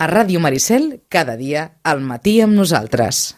A Ràdio Maricel, cada dia, al matí amb nosaltres.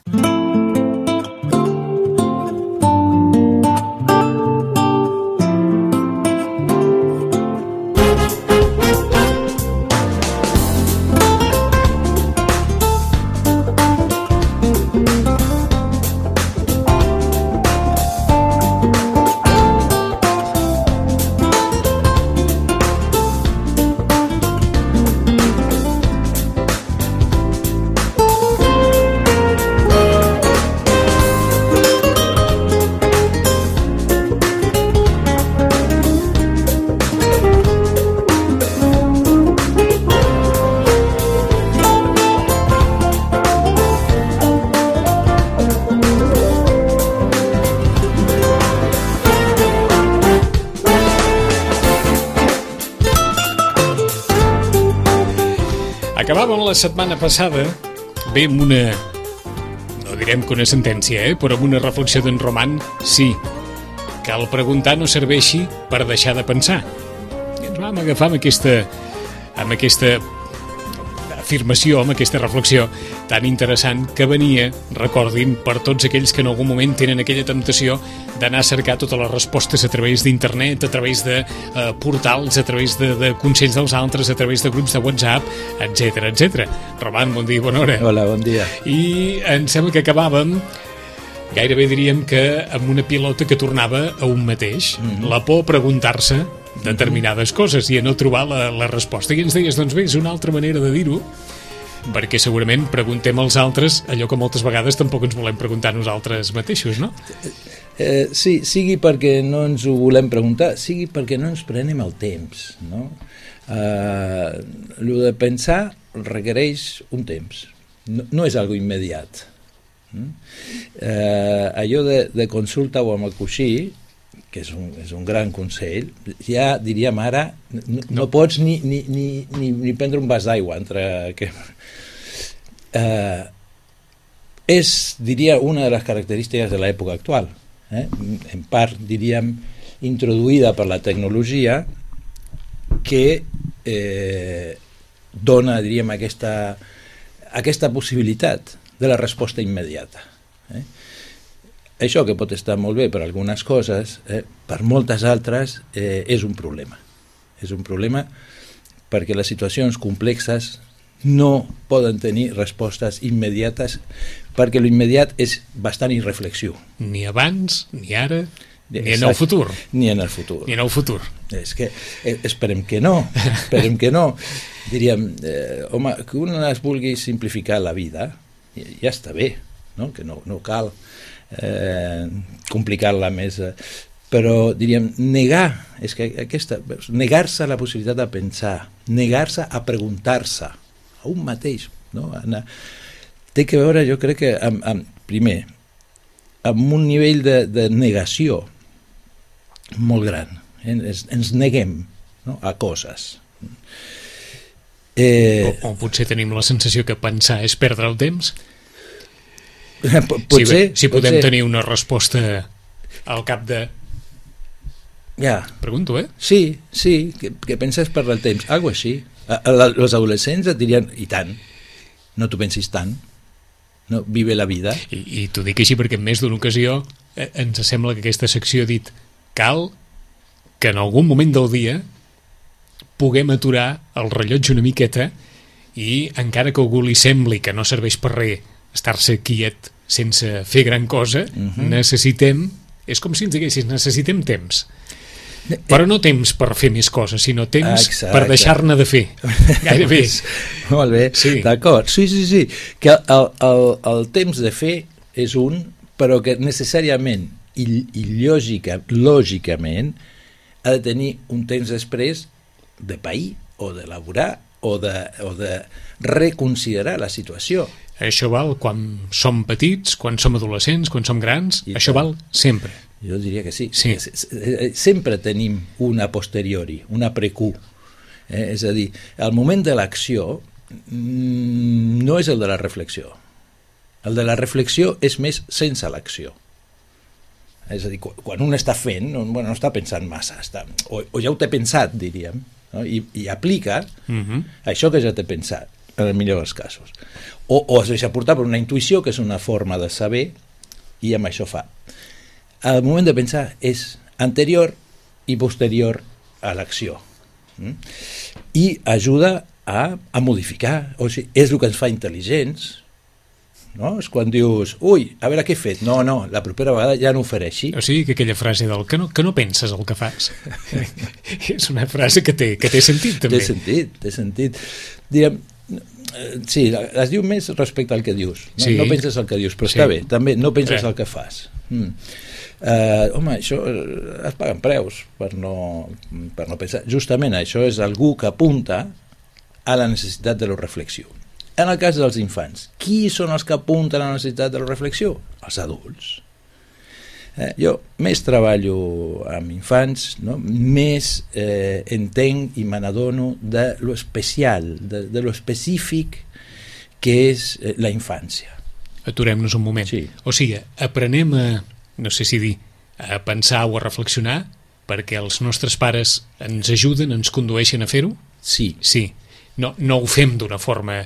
Acabàvem la setmana passada bé amb una, no direm que una sentència, però amb una reflexió d'en Roman. Sí, que el preguntar no serveixi per deixar de pensar. I ens vam agafar amb aquesta afirmació, amb aquesta reflexió tan interessant que venia, recordin, per tots aquells que en algun moment tenen aquella temptació d'anar a cercar totes les respostes a través d'internet, a través de portals, a través de consells dels altres, a través de grups de WhatsApp, etc. Roman, bon dia, bona hora. Hola, bon dia. I em sembla que acabàvem, gairebé diríem que amb una pilota que tornava a un mateix, la por a preguntar-se determinades coses i a no trobar la resposta. I ens deies, doncs bé, és una altra manera de dir-ho, perquè segurament preguntem als altres allò que moltes vegades tampoc ens volem preguntar nosaltres mateixos, no? Sí, sigui perquè no ens ho volem preguntar, sigui perquè no ens prenem el temps, no? Lo de pensar requereix un temps, no és algo immediat. Allò de consulta o amb el coixí, que és un gran consell, ja diríem ara, no pots ni prendre un vas d'aigua entre que... És, diria, una de les característiques de l'època actual, en part, diríem, introduïda per la tecnologia, que dona, diríem, aquesta possibilitat de la resposta immediata. Això que pot estar molt bé per algunes coses, per moltes altres és un problema. És un problema perquè les situacions complexes no poden tenir respostes immediates, perquè l'immediat és bastant irreflexiu. Ni abans, ni ara, ni en el futur. Ni en el futur. Ni en el futur. És que esperem que no. Diríem, home, que un es vulgui simplificar la vida, ja està bé, no? Que no cal complicar-la més, però diríem negar-se la possibilitat de pensar, negar-se a preguntar-se a un mateix, no? Té que veure, jo crec que primer amb un nivell de negació molt gran, ens neguem, no? A coses, o potser tenim la sensació que pensar és perdre el temps. Si podem tenir una resposta al cap de... Ja. Pregunto, Sí, que penses perdre el temps, algo així. Els adolescents et dirien, i tant, no t'ho pensis tant, no, vive la vida. I t'ho dic així perquè en més d'una ocasió ens sembla que aquesta secció ha dit cal que en algun moment del dia puguem aturar el rellotge una miqueta i encara que a algú li sembli que no serveix per res estar-se quiet sense fer gran cosa, necessitem, és com si ens diguessis, necessitem temps. Però no temps per fer més coses, sinó temps per deixar-ne de fer. Gairebé. Molt bé, sí. D'acord. Sí. Que el temps de fer és un, però que necessàriament i lògicament ha de tenir un temps després de pair o d'elaborar o de reconsiderar la situació. Això val quan som petits, quan som adolescents, quan som grans, això val sempre. Jo diria que sí. Sempre tenim una posteriori, una precu. És a dir, el moment de l'acció no és el de la reflexió. El de la reflexió és més sense l'acció. És a dir, quan un està fent, no està pensant massa, o ja ho té pensat, diríem, no? I aplica això que ja té pensat. en el millor dels casos. O es deixa portar per una intuïció, que és una forma de saber, i amb això fa. El moment de pensar és anterior i posterior a l'acció. I ajuda a modificar, o sigui, és el que ens fa intel·ligents, no? És quan dius, ui, a veure què he fet, no, la propera vegada ja no ho faré així. O sigui que aquella frase del que no penses el que fas és una frase que té sentit també. Té sentit. Diguem, sí, es diu més respecte al que dius, no, sí. No penses el que dius, però està bé, també no penses el que fas. Home, això es paguen preus per no pensar. Justament això és algú que apunta a la necessitat de la reflexió. En el cas dels infants, qui són els que apunten a la necessitat de la reflexió? Els adults. Jo més treballo amb infants, no? Més entenc i me n'adono de lo especial, de lo específic que és la infància. Aturem-nos un moment. Sí. O sigui, aprenem no sé si dir, a pensar o a reflexionar perquè els nostres pares ens ajuden, ens condueixen a fer-ho? Sí. No ho fem d'una forma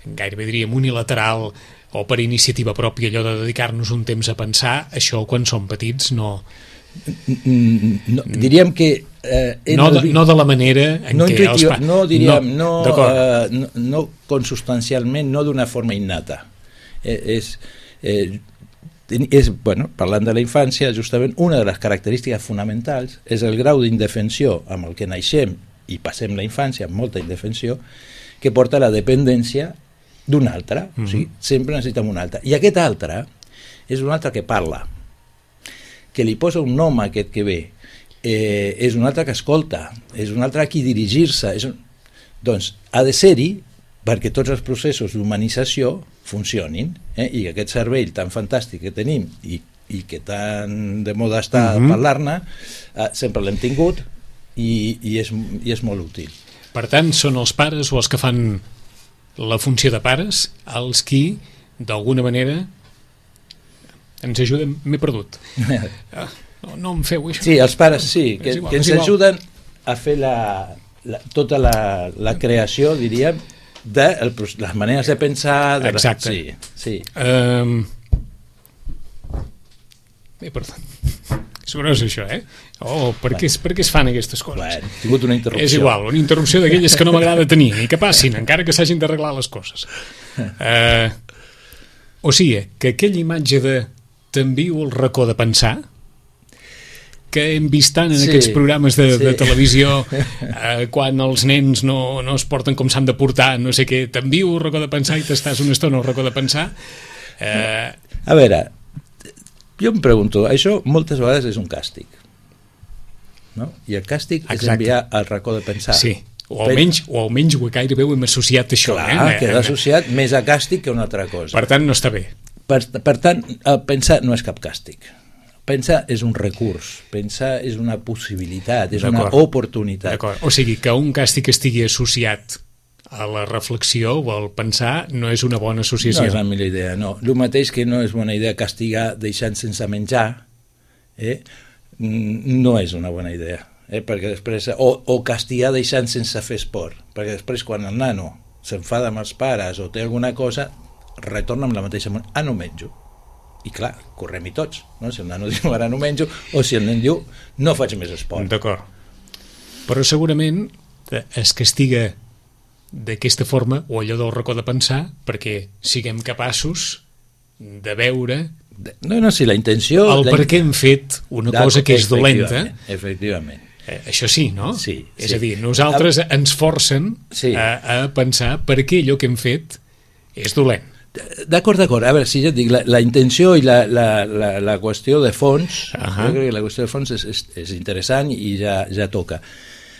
gairebé diríem unilateral o per iniciativa pròpia, allò de dedicar-nos un temps a pensar, això quan som petits no diríem que no de la manera en què els pares no consubstancialment, no d'una forma innata. Bueno, parlant de la infància, justament una de les característiques fonamentals és el grau d'indefensió amb el que naixem i passem la infància amb molta indefensió, que porta a la dependència d'un altre. O sigui, sempre necessitem un altre. I aquest altre és un altre que parla, que li posa un nom a aquest que ve, és un altre que escolta, és un altre a qui dirigir-se. Doncs ha de ser-hi perquè tots els processos d'humanització funcionin, i aquest cervell tan fantàstic que tenim i que tan de moda està parlar-ne, sempre l'hem tingut i és molt útil. Per tant, són els pares o els que fan la funció de pares els qui, d'alguna manera, ens ajuden. M'he perdut. No em feu això. Sí, els pares sí, que ens ajuden a fer tota la creació, diríem, de les maneres de pensar. Exacte. Sí. M'he perdut. És gros això, per què es fan aquestes coses? Bueno, he tingut una interrupció. És igual, una interrupció d'aquelles que no m'agrada tenir i que passin, encara que s'hagin d'arreglar les coses. O sigui, que aquella imatge de t'envio el racó de pensar que hem vist tant en aquests programes de televisió quan els nens no es porten com s'han de portar, no sé què, t'envio el racó de pensar i t'estàs una estona al racó de pensar. A veure, jo em pregunto, això moltes vegades és un càstig, no? I el càstig és enviar al racó de pensar. Sí, o almenys gairebé ho hem associat a això. Clar, queda associat més a càstig que una altra cosa. Per tant, no està bé. Per tant, pensar no és cap càstig. Pensar és un recurs, pensar és una possibilitat, és una oportunitat. O sigui, que un càstig estigui associat a la reflexió o al pensar no és una bona associació. No és la millor idea, no. El mateix que no és bona idea castigar deixant sense menjar, no és una bona idea, perquè després, o castigar deixant sense fer esport, perquè després quan el nano s'enfada amb els pares o té alguna cosa, retorna amb la mateixa manera, no menjo. I clar, correm-hi tots, no? Si el nano diu ara no menjo, o si el nen diu no faig més esport. D'acord. Però segurament es castiga d'aquesta forma, o allò del racó de pensar, perquè siguem capaços de veure si la intenció... per què hem fet una cosa que és dolenta. Efectivament. Això sí, no? Sí. És a dir, nosaltres ens forcen a pensar per què allò que hem fet és dolent. D'acord. A veure, si ja et dic, la intenció i la qüestió de fons, jo crec que la qüestió de fons és interessant i ja toca.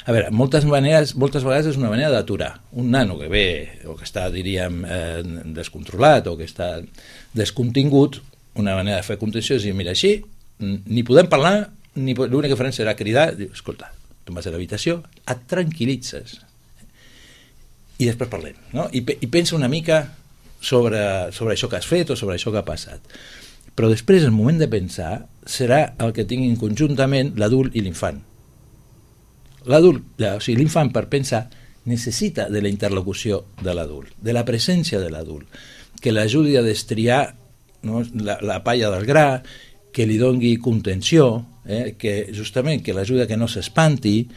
A veure, moltes vegades és una manera d'aturar. Un nano que ve, o que està, diríem, descontrolat, o que està descontingut, una manera de fer contenció és dir, mira, així, ni podem parlar, ni l'únic que farem serà cridar, diu, escolta, tu vas a l'habitació, et tranquil·litzes, i després parlem, no? I pensa una mica sobre això que has fet o sobre això que ha passat. Però després, el moment de pensar, serà el que tinguin conjuntament l'adult i l'infant. L'adult, o sigui, l'infant per pensar necessita de la interlocució de l'adult, de la presència de l'adult, que l'ajudi a destriar, no, la palla del gra, que li doni contenció, que justament que l'ajudi a que no s'espanti,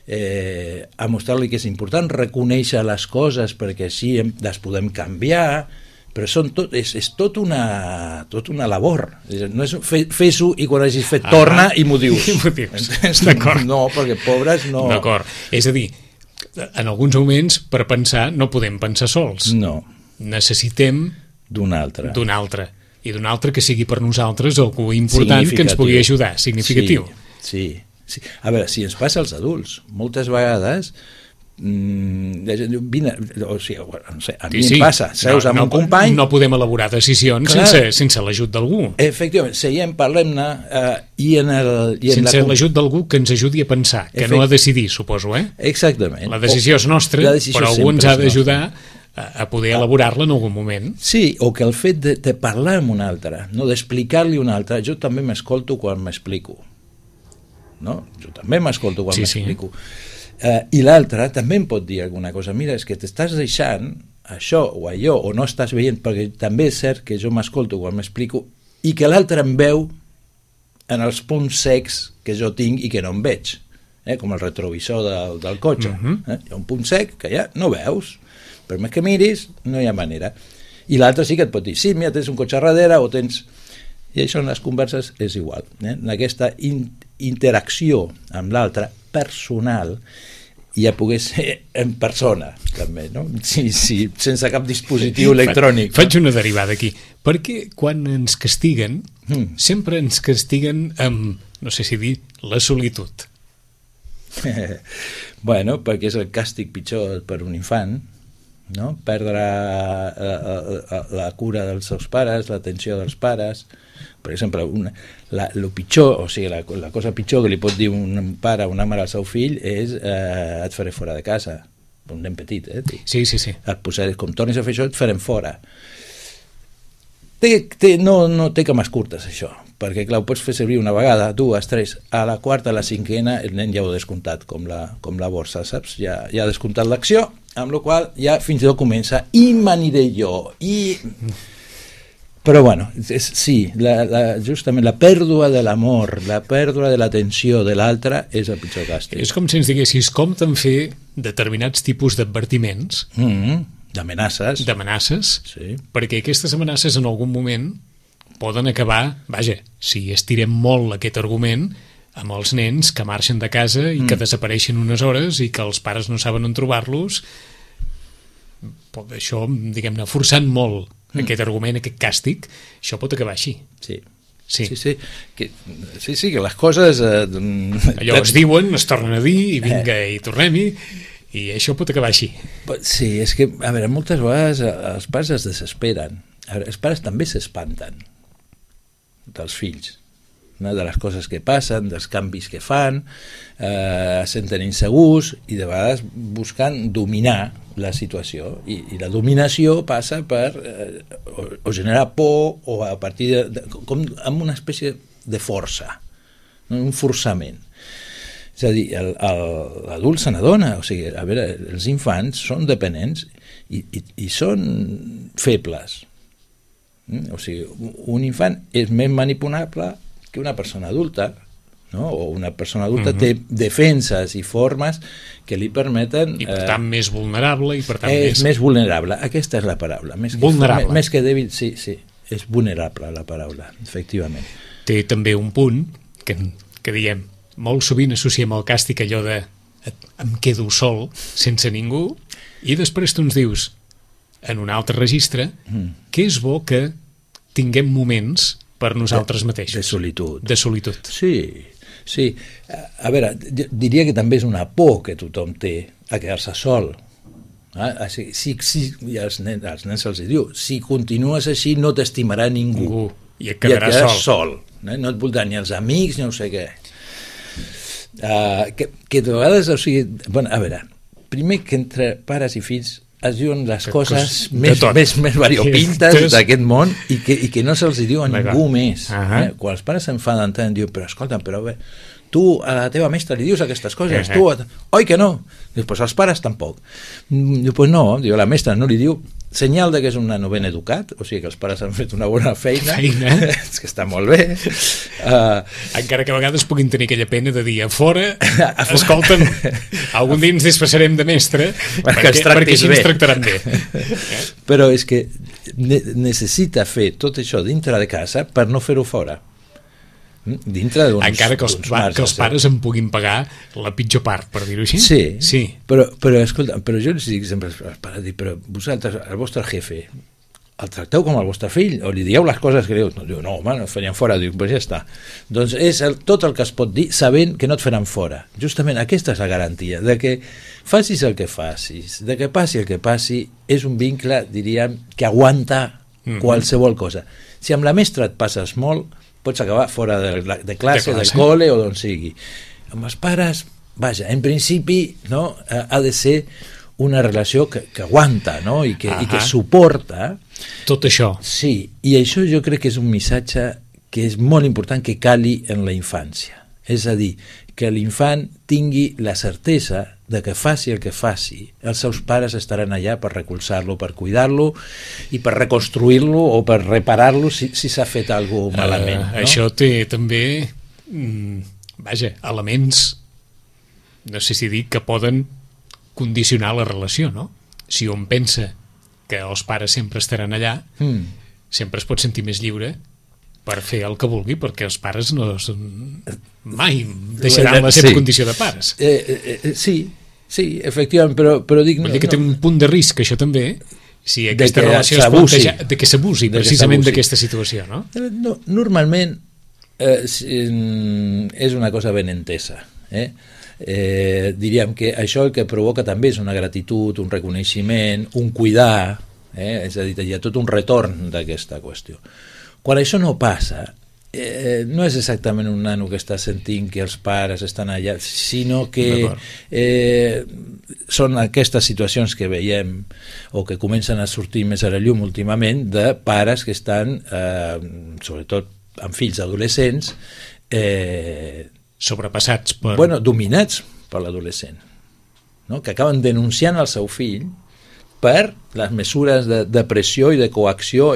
a mostrar-li que és important reconèixer les coses perquè així les podem canviar, però és tot una labor. No és fes-ho i quan hagis fet torna i m'ho dius. D'acord. No, perquè pobres no... D'acord. És a dir, en alguns moments per pensar no podem pensar sols. No. Necessitem d'un altre. I d'un altre que sigui per nosaltres algú important que ens pugui ajudar, significatiu. Sí. A veure, si ens passa als adults, moltes vegades la gent diu, vine, o sigui, no sé, a mi em passa, seus amb un company... No podem elaborar decisions sense l'ajut d'algú. Efectivament, seiem, parlem-ne, sense l'ajut d'algú que ens ajudi a pensar, que no a decidir, suposo, Exactament. La decisió és nostra, però algú ens ha d'ajudar a poder elaborar-la en algun moment. Sí, o que el fet de parlar amb un altre, no, d'explicar-li un altre, jo també m'escolto quan m'explico. No? Jo també m'escolto quan m'explico. I l'altre també em pot dir alguna cosa, mira, és que t'estàs deixant això o allò, o no estàs veient, perquè també és cert que jo m'escolto quan m'explico i que l'altre em veu en els punts secs que jo tinc i que no em veig, com el retrovisor del cotxe. Hi ha un punt sec que ja no veus, per més que miris no hi ha manera. I l'altre sí que et pot dir, sí, mira, tens un cotxe darrere o tens... I això en les converses és igual. En aquesta interacció amb l'altre personal ja pogués ser en persona també, no? Sí, sense cap dispositiu electrònic. Faig una derivada aquí, perquè quan ens castiguen sempre ens castiguen amb, no sé si dir, la solitud. Bueno, perquè és el càstig pitjor per un infant, no? Perdre la cura dels seus pares, l'atenció dels pares. Per exemple, lo pitjor, o sigui, la cosa pitjor que li pot dir un pare o una mare al seu fill és et faré fora de casa, un nen petit, Sí. Et posaré, com tornis a fer això et farem fora. No té cames curtes això, perquè clar, ho pots fer servir una vegada, dues, tres, a la quarta, a la cinquena el nen ja ho ha descomptat, com la borsa, saps? Ja ha descomptat l'acció, amb la qual ja fins i tot comença i m'aniré jo, però bueno, sí, justament la pèrdua de l'amor, la pèrdua de l'atenció de l'altre és el pitjor càstig. És com si ens diguessis com te'n fer determinats tipus d'advertiments, d'amenaces, sí. Perquè aquestes amenaces en algun moment poden acabar, vaja, si estirem molt aquest argument, amb els nens que marxen de casa i que desapareixen unes hores i que els pares no saben on trobar-los. Això, diguem-ne, forçant molt aquest argument, aquest càstig, això pot acabar així. Sí, que les coses... Allò es diuen, es tornen a dir, i vinga, i tornem-hi, i això pot acabar així. Sí, és que, a veure, moltes vegades els pares es desesperen. Els pares també s'espanten dels fills, no? De les coses que passen, dels canvis que fan, es senten insegurs i de vegades busquen dominar la situació i la dominació passa per o generar por o a partir com amb una espècie de força, no? Un forçament. És a dir, l'adult se n'adona, o sigui, a veure, els infants són dependents i són febles. O sigui, un infant és més manipulable que una persona adulta, no? O una persona adulta té defenses i formes que li permeten... I per tant més vulnerable i per tant més vulnerable, aquesta és la paraula. Vulnerable. Més que dèbil, sí, és vulnerable la paraula, efectivament. Té també un punt que diem, molt sovint associem al càstig allò de em quedo sol, sense ningú, i després tu ens dius, en un altre registre, que és bo que tinguem moments per nosaltres mateixos. De solitud. Sí. A veure, diria que també és una por que tothom té a quedar-se sol. I als nens se'ls diu, si continues així no t'estimarà ningú. I et quedaràs sol. No et voldran ni els amics, ni no sé què. Que de vegades, o sigui, bueno, a veure, primer que entre pares i fills es diuen les coses més variopintes d'aquest món i que no se'ls diu a ningú més. Quan els pares s'enfaden tant, diuen, però escolta, però bé, tu a la teva mestra li dius aquestes coses, tu, oi que no? Dius, pues als pares tampoc. Diu, pues no, diu, la mestra no li diu, senyal de que és un nano ben educat, o sigui que els pares han fet una bona feina. És que està molt bé. Encara que a vegades puguin tenir aquella pena de dir a fora, escolta'm, algun dia ens disfressarem de mestre perquè així ens tractaran bé. Però és que necessita fer tot això dintre de casa per no fer-ho fora. Dintre encara que els pares en puguin pagar la pitjor part, per dir-ho així. Sí. Però escolta, però jo els dic sempre als pares, però vosaltres, el vostre jefe, el tracteu com el vostre fill o li dieu les coses que diu? Diu, no, home, no et farien fora. Diu, pues ja està. Doncs és tot el que es pot dir sabent que no et faran fora. Justament aquesta és la garantia, de que facis el que facis, de que passi el que passi, és un vincle, diríem, que aguanta qualsevol cosa. Si amb la mestra et passes molt, pots acabar fora de classe, del col·le o d'on sigui. Amb els pares, vaja, en principi, no, ha de ser una relació que aguanta, no? I que suporta tot això. Sí, i això jo crec que és un missatge que és molt important que cali en la infància. És a dir, que l'infant tingui la certesa de que faci el que faci, els seus pares estaran allà per recolzar-lo, per cuidar-lo i per reconstruir-lo o per reparar-lo si s'ha fet alguna cosa malament. No? Això té també elements, no sé si dir, que poden condicionar la relació, no? Si un pensa que els pares sempre estaran allà, sempre es pot sentir més lliure per fer el que vulgui, perquè els pares no mai deixaran la seva condició de pares. Sí, efectivament, però dic... Vull dir que té un punt de risc, això també, si aquesta relació es planteja, de que s'abusi precisament d'aquesta situació, no? Normalment és una cosa ben entesa, diríem que això el que provoca també és una gratitud, un reconeixement, un cuidar, és a dir, hi ha tot un retorn d'aquesta qüestió. Quan això no passa, no és exactament un nano que està sentint que els pares estan allà, sinó que són aquestes situacions que veiem o que comencen a sortir més a la llum últimament de pares que estan, sobretot amb fills adolescents, sobrepassats per... dominats per l'adolescent, no? Que acaben denunciant el seu fill per les mesures de pressió i de coacció.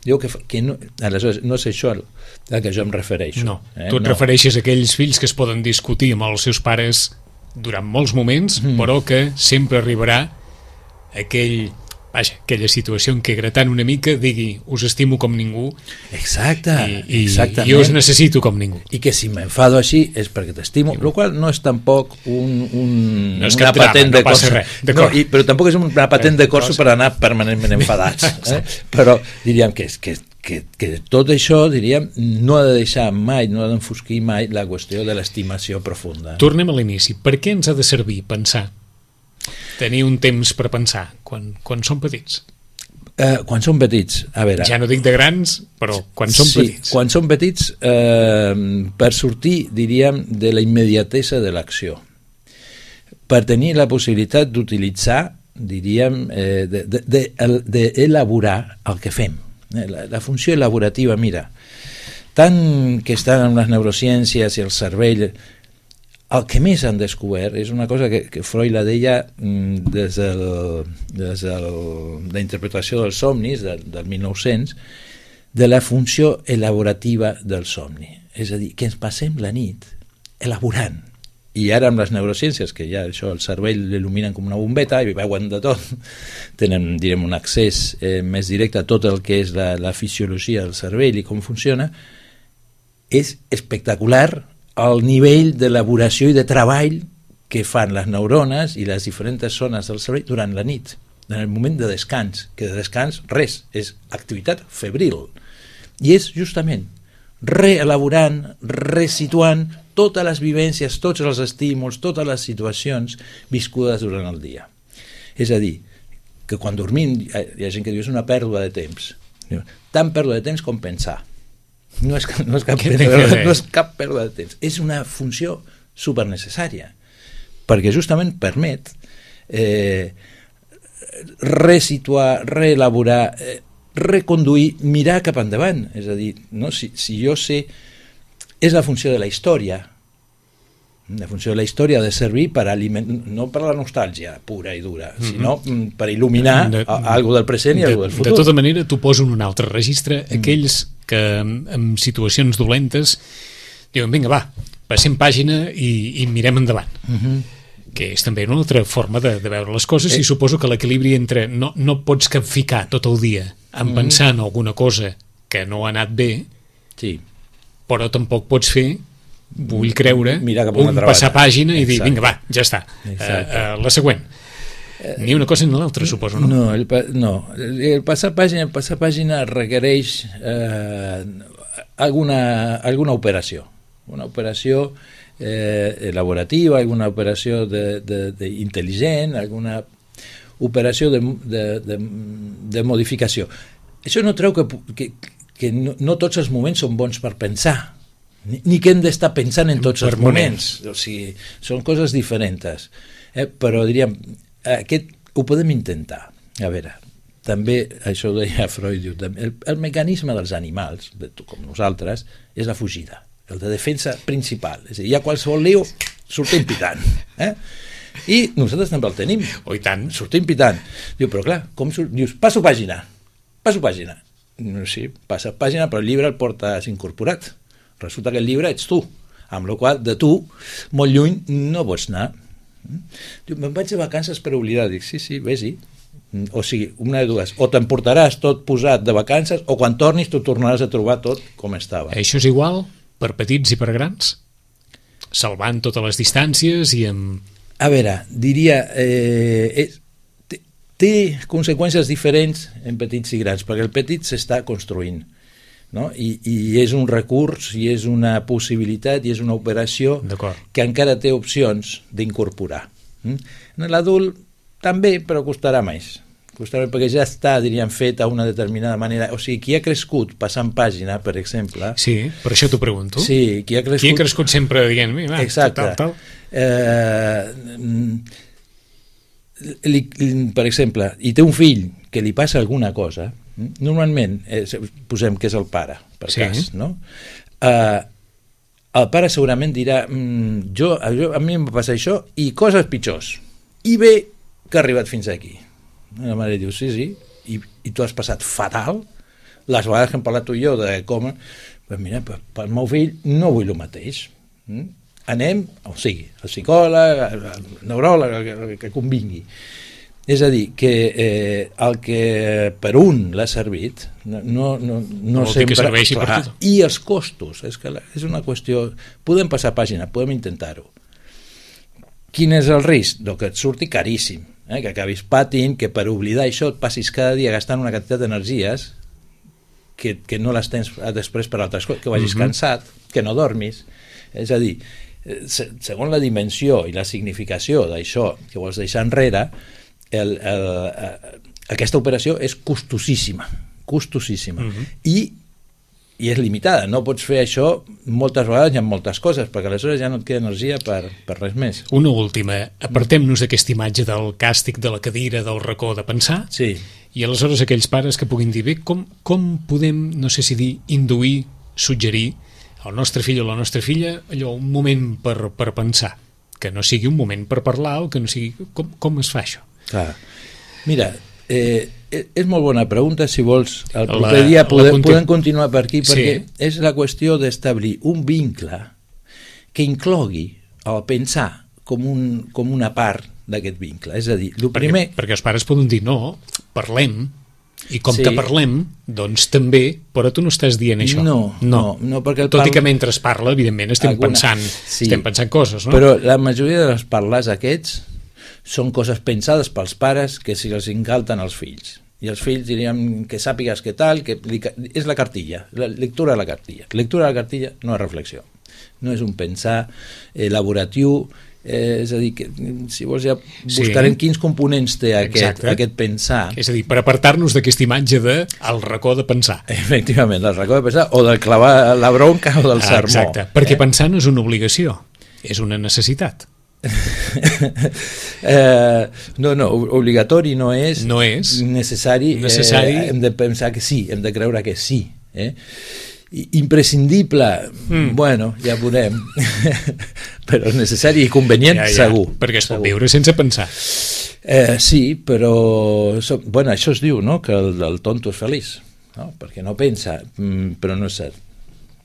Diu que no, aleshores no és això a què jo em refereixo. No, tu et refereixes a aquells fills que es poden discutir amb els seus pares durant molts moments, però que sempre arribarà aquella situació en què gratant una mica digui, us estimo com ningú. Exactament. I us necessito com ningú. I que si m'enfado així és perquè t'estimo, el qual no és tampoc una patent de corso. Però tampoc és una patent de corso per anar permanentment enfadats. Però diríem que tot això, diríem, no ha de deixar mai, no ha d'enfosquir mai la qüestió de l'estimació profunda. Tornem a l'inici. Per què ens ha de servir pensar? Tenir un temps per pensar quan som petits? Quan som petits, a veure... Ja no dic de grans, però quan som petits. Quan som petits, per sortir, diríem, de la immediatesa de l'acció. Per tenir la possibilitat d'utilitzar, diríem, d'elaborar el que fem. La funció elaborativa, mira, tant que estan en les neurociències i el cervell... El que més han descobert és una cosa que Freud la deia des de la interpretació dels somnis del 1900, de la funció elaborativa del somni. És a dir, que ens passem la nit elaborant. I ara amb les neurociències, que ja això el cervell l'il·luminen com una bombeta i veuen de tot, tenen, direm, un accés més directe a tot el que és la fisiologia del cervell i com funciona, és espectacular el nivell d'elaboració i de treball que fan les neurones i les diferents zones del cervell durant la nit, en el moment de descans, que de descans res, és activitat febril. I és justament reelaborant, resituant totes les vivències, tots els estímuls, totes les situacions viscudes durant el dia. És a dir, que quan dormim hi ha gent que diu és una pèrdua de temps. Tant pèrdua de temps com pensar. No és cap pèrdua de temps. És una funció supernecessària, perquè justament permet resituar, reelaborar, reconduir, mirar cap endavant. És a dir, no? Si jo sé... És la funció de la història, La funció de la història ha de servir per no per la nostàlgia pura i dura, sinó per il·luminar algo del present i algo del futur. De tota manera, t'ho poso en un altre registre. Aquells que en situacions dolentes diuen, vinga, va, passem pàgina i mirem endavant. Que és també una altra forma de veure les coses, i suposo que l'equilibri entre no pots capficar tot el dia en pensar en alguna cosa que no ha anat bé, sí, però tampoc pots fer, vull creure, un passar pàgina i dir, vinga, va, ja està, la següent. Ni una cosa ni l'altra, suposo, no? No, el passar pàgina requereix alguna operació, una operació elaborativa, alguna operació intel·ligent, alguna operació de modificació. Això no treu que no tots els moments són bons per pensar, ni que hem d'estar pensant en tots els moments. O sigui, són coses diferents. Però diríem, aquest ho podem intentar. A veure, també, això ho deia Freud, el mecanisme dels animals, com nosaltres, és la fugida, el de defensa principal. És a dir, hi ha qualsevol lío, sortim pitant. I nosaltres també el tenim. Oh, i tant. Sortim pitant. Diu, però clar, dius, passo pàgina. Sí, passa pàgina, però el llibre el portes incorporat. Resulta que el llibre ets tu, amb la qual de tu, molt lluny, no pots anar. Diu, me'n vaig de vacances per oblidar. Dic, sí, vés-hi. O sigui, una de dues, o t'emportaràs tot posat de vacances, o quan tornis tu tornaràs a trobar tot com estava. Això és igual per petits i per grans? Salvant totes les distàncies i amb... A veure, diria... té conseqüències diferents en petits i grans, perquè el petit s'està construint, no? I és un recurs, i és una possibilitat, i és una operació que encara té opcions d'incorporar. En l'adult també, però costarà més. Perquè ja està, diríem, fet a una determinada manera. O sigui, qui ha crescut passant pàgina, per exemple... Sí, per això t'ho pregunto. Sí, qui ha crescut sempre dient... Exacte. Tal. Per exemple, i té un fill que li passa alguna cosa, normalment, posem que és el pare, per cas, no? El pare segurament dirà a mi em va passar això i coses pitjors, i bé que ha arribat fins aquí. La mare diu, sí, i tu has passat fatal, les vegades que hem parlat tu i jo de com, pues mira, pel meu fill no vull el mateix. Anem, o sigui, al psicòleg, al neuròleg, el que convingui. És a dir, que el que per un l'ha servit no sempre... Que serveixi per tot. I els costos, és una qüestió... Podem passar pàgina, podem intentar-ho. Quin és el risc? Que et surti caríssim, que acabis patint, que per oblidar això et passis cada dia gastant una quantitat d'energies que no les tens després per altres coses, que vagis cansat, que no dormis. És a dir, segons la dimensió i la significació d'això que vols deixar enrere, aquesta operació és costosíssima, i és limitada. No pots fer això moltes vegades i amb moltes coses, perquè aleshores ja no et queda energia per res més. Una última, apartem-nos d'aquesta imatge del càstig de la cadira, del racó de pensar, sí. I aleshores aquells pares que puguin dir, bé, com podem, no sé si dir, induir, suggerir al nostre fill o la nostra filla allò, un moment per pensar, que no sigui un moment per parlar, o que no sigui... Com es fa això? Clar. Mira, és molt bona pregunta. Si vols, el proper dia podem continuar per aquí, perquè és la qüestió d'establir un vincle que inclogui el pensar com una part d'aquest vincle. És a dir, perquè els pares poden dir, no, parlem, i com que parlem, doncs també, però tu no estàs dient això. No, perquè tot i que mentre es parla, evidentment, estem pensant coses, no? Però la majoria de les parles aquests són coses pensades pels pares que si els encalten als fills. I els fills diríem que sàpigues què tal, és la cartilla, la lectura de la cartilla. Lectura de la cartilla no és reflexió, no és un pensar elaboratiu, és a dir, que si vols ja buscarem quins components té aquest pensar. És a dir, per apartar-nos d'aquesta imatge del racó de pensar. Efectivament, del racó de pensar, o del clavar la bronca o del sermó. Exacte, perquè pensar no és una obligació, és una necessitat. No, obligatori no és, necessari. Necessari. Hem de pensar que sí, hem de creure que sí, imprescindible, bueno, ja veurem, però és necessari i convenient, segur. Perquè es pot viure sense pensar. Sí, però bueno, això es diu, no?, que el tonto és feliç, no? Perquè no pensa, però no és cert.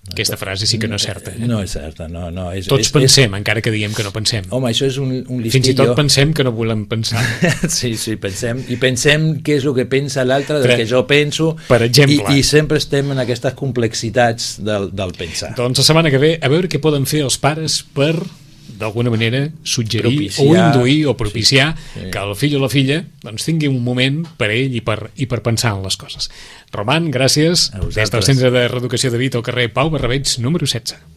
Aquesta frase sí que no és certa. No és certa, no. Tots pensem, encara que diguem que no pensem. Home, això és un listillo. Fins i tot pensem que no volem pensar. Sí, pensem. I pensem què és el que pensa l'altre del que jo penso. Per exemple. I sempre estem en aquestes complexitats del pensar. Doncs la setmana que ve, a veure què poden fer els pares per, d'alguna manera, suggerir propiciar, o induir o propiciar sí. que el fill o la filla doncs, tingui un moment per a ell i per pensar en les coses. Roman, gràcies. Des del Centre de Reeducació de Vita al carrer Pau Barrabeig, número 16.